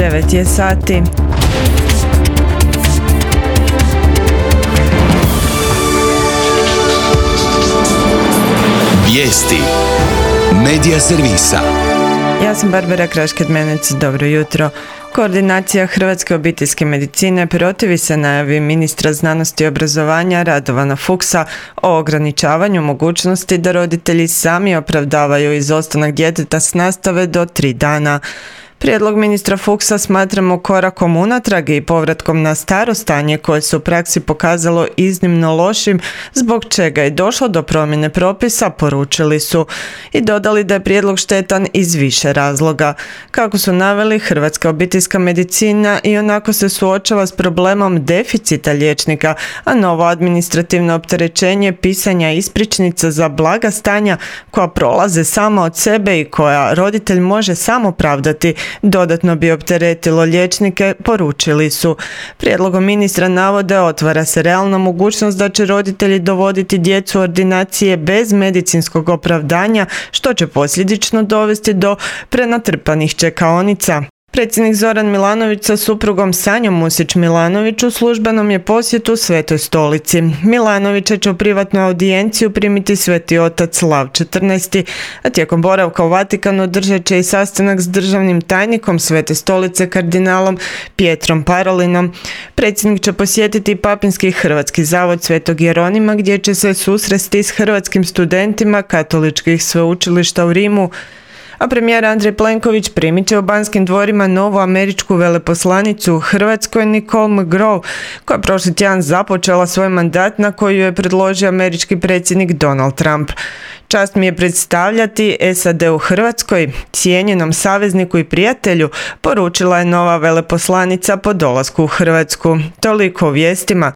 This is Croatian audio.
9 je sati. Vijesti Medija servisa. Ja sam Barbara Krašked-Menec, dobro jutro. Koordinacija Hrvatske obiteljske medicine protivi se najavi ministra znanosti i obrazovanja Radovana Fuchsa o ograničavanju mogućnosti da roditelji sami opravdavaju izostanak djeteta s nastave do 3 dana. Prijedlog ministra Fuchsa smatramo korakom unatrag i povratkom na staro stanje koje se u praksi pokazalo iznimno lošim, zbog čega je došlo do promjene propisa, poručili su i dodali da je prijedlog štetan iz više razloga. Kako su naveli, Hrvatska obiteljska medicina ionako se suočava s problemom deficita liječnika, a novo administrativno opterećenje pisanja ispričnica za blaga stanja koja prolaze sama od sebe i koja roditelj može sam opravdati dodatno bi opteretilo liječnike, poručili su. Prijedlogom ministra navode otvara se realna mogućnost da će roditelji dovoditi djecu u ordinacije bez medicinskog opravdanja, što će posljedično dovesti do prenatrpanih čekaonica. Predsjednik Zoran Milanović sa suprugom Sanjom Musić-Milanović u službenom je posjetu Svetoj Stolici. Milanovića će u privatnu audijenciju primiti Sveti otac Lav XIV, a tijekom boravka u Vatikanu održat će i sastanak s državnim tajnikom Svete Stolice kardinalom Pietrom Parolinom. Predsjednik će posjetiti Papinski hrvatski zavod Svetog Jeronima gdje će se susresti s hrvatskim studentima katoličkih sveučilišta u Rimu, a premijer Andrej Plenković primit će u Banskim dvorima novu američku veleposlanicu u Hrvatskoj Nicole McGraw, koja je prošli tjedan započela svoj mandat na koju je predložio američki predsjednik Donald Trump. Čast mi je predstavljati SAD u Hrvatskoj, cijenjenom savezniku i prijatelju, poručila je nova veleposlanica po dolasku u Hrvatsku. Toliko o vijestima.